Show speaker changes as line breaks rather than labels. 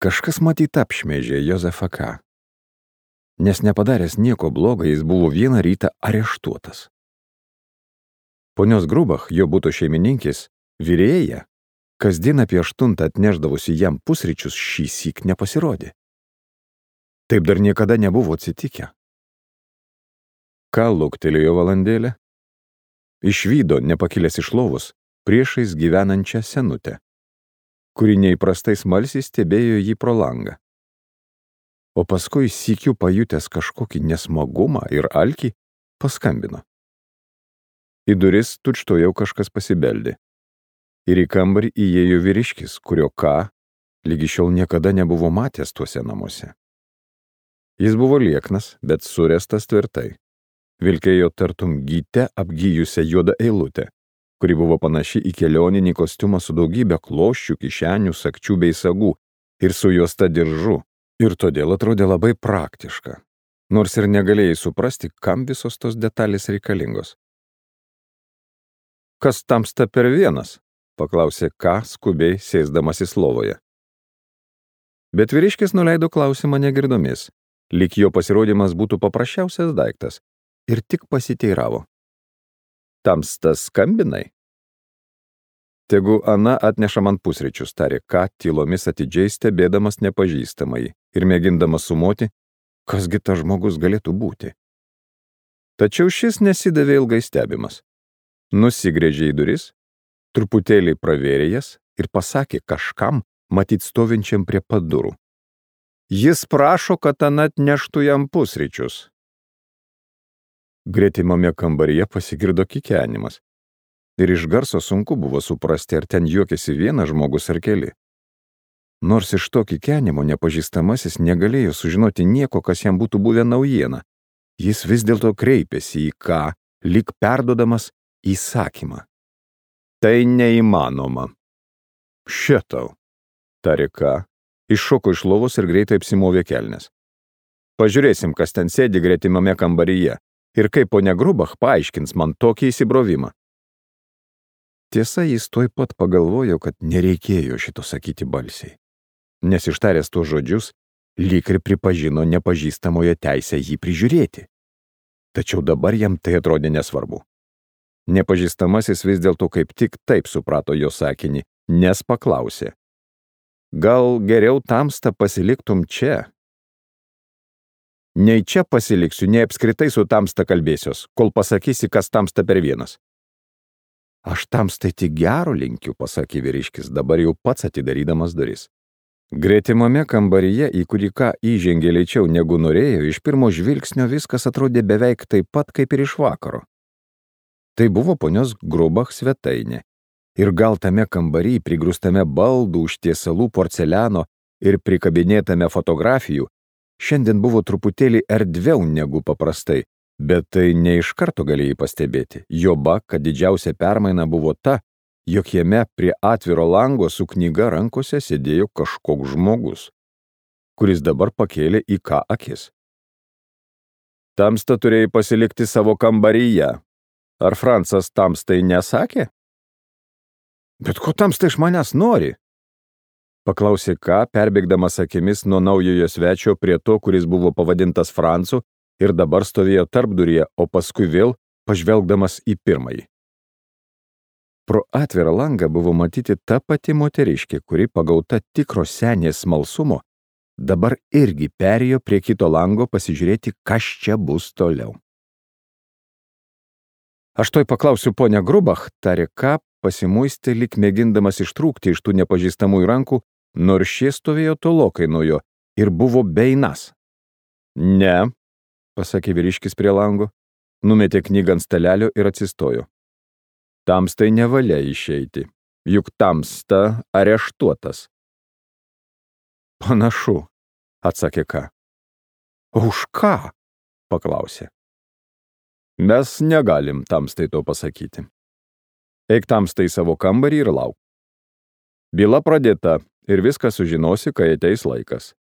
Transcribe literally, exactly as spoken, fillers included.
Kažkas matyt apšmeižė Jozefą K. Nes nepadaręs nieko blogo, jis buvo vieną rytą areštuotas. Ponios Grubach, jo buto šeimininkės, virėja, kasdien apie aštuntą atnešdavusi jam pusryčius, šįsyk nepasirodė. Taip dar niekada nebuvo atsitikę. Ką luktelėjo valandėlę? Išvydo, nepakilęs iš lovos, priešais gyvenančią senutę, kuri neįprastai smalsiai stebėjo jį pro langą. O paskui sykiu pajutęs kažkokį nesmagumą ir alkį, paskambino. Į duris tučtuojau kažkas pasibeldė. Ir į kambarį įėjo vyriškis, kurio Ką lygi šiol niekada nebuvo matęs tuose namuose. Jis buvo lieknas, bet surestas tvirtai. Vilkėjo tartum gyte apgyjusią juodą eilutę, kuri buvo panaši į kelioninį kostiumą su daugybė kloščių, kišenių, sagčių bei sagų ir su juosta diržu, ir todėl atrodė labai praktiška, nors ir negalėjai suprasti, kam visos tos detalės reikalingos. Kas tamsta per vienas? Paklausė Ką skubiai sėsdamasis lovoje. Bet vyriškis nuleido klausimą negirdomis, lyg jo pasirodymas būtų paprasčiausias daiktas, ir tik pasiteiravo. Tamsta skambinai? Tegu Ana atneša man pusryčius, tarė Ką tylomis atidžiai stebėdamas nepažįstamai ir mėgindamas sumoti, kasgi tas žmogus galėtų būti. Tačiau šis nesidavė ilgai stebimas. Nusigręžė į duris, truputėlį pravėrė jas ir pasakė kažkam, matyt stovinčiam prie pat durų. Jis prašo, kad Ana atneštų jam pusryčius. Gretimame kambaryje pasigirdo kikenimas. Ir iš garso sunku buvo suprasti, ar ten juokėsi vienas žmogus ar keli. Nors iš to kikenimo nepažįstamasis negalėjo sužinoti nieko, kas jam būtų buvę naujiena, jis vis dėlto kreipėsi į Ką, lyg perduodamas įsakymą. Tai neįmanoma. Šitau, tarė Ką, iššoko iš lovos ir greitai apsimovė kelnes. Pažiūrėsim, kas ten sėdi gretimame kambaryje ir kaip ponia Grubach paaiškins man tokį įsibrovimą. Tiesa, jis tuoj pat pagalvojo, kad nereikėjo šito sakyti balsiai, nes ištaręs tuos žodžius, lyg ir pripažino nepažįstamoje teisę jį prižiūrėti. Tačiau dabar jam tai atrodė nesvarbu. Nepažįstamasis vis dėlto kaip tik taip suprato jo sakinį, nes paklausė. Gal geriau tamsta pasiliktum čia? Nei čia pasiliksiu, nei apskritai su tamsta kalbėsios, kol pasakysi, kas tamsta per vienas. Aš tamstai tik gero linkiu, pasakė vyriškis, dabar jau pats atidarydamas duris. Gretimame kambaryje, į kurį Ką įžengė lėčiau negu norėjo, iš pirmo žvilgsnio viskas atrodė beveik taip pat kaip ir iš vakaro. Tai buvo ponios Grubach svetainė. Ir gal tame kambary, prigrūstame baldų, užtiesalų, porceliano ir prikabinėtame fotografijų, šiandien buvo truputėlį erdviau negu paprastai, bet tai ne iš karto galėjai pastebėti. Joba, kad didžiausia permaina buvo ta, jog jame prie atviro lango su knyga rankose sėdėjo kažkoks žmogus, kuris dabar pakėlė į Ką akis. Tamsta turėjai pasilikti savo kambaryje. Ar Francas tamstai nesakė? Bet ko tamsta iš manęs nori? Paklausė Ką, perbėgdamas akimis nuo naujojo svečio prie to, kuris buvo pavadintas Francu ir dabar stovėjo tarpduryje, o paskui vėl pažvelgdamas į pirmąjį. Pro atvirą langą buvo matyti ta pati moteriškė, kuri pagauta tikro senės smalsumo, dabar irgi perėjo prie kito lango pasižiūrėti, kas čia bus toliau. Aš toj paklausiu ponia Grubach, tarė Ką, pasimuistė lyg mėgindamas ištrūkti iš tų nepažįstamųjų rankų, nors šie stovėjo tolokai nuo jo ir buvo beinas. Ne, pasakė vyriškis prie lango, numetė knygą ant stalelio ir atsistojo. Tamstai nevalia išeiti, juk tamsta areštuotas. Panašu, atsakė Ką. Už ką? Paklausė. Mes negalim tamstai to pasakyti. Eik tamstai savo kambarį ir lauk. Byla pradėta ir viską sužinosi, kai ateis laikas.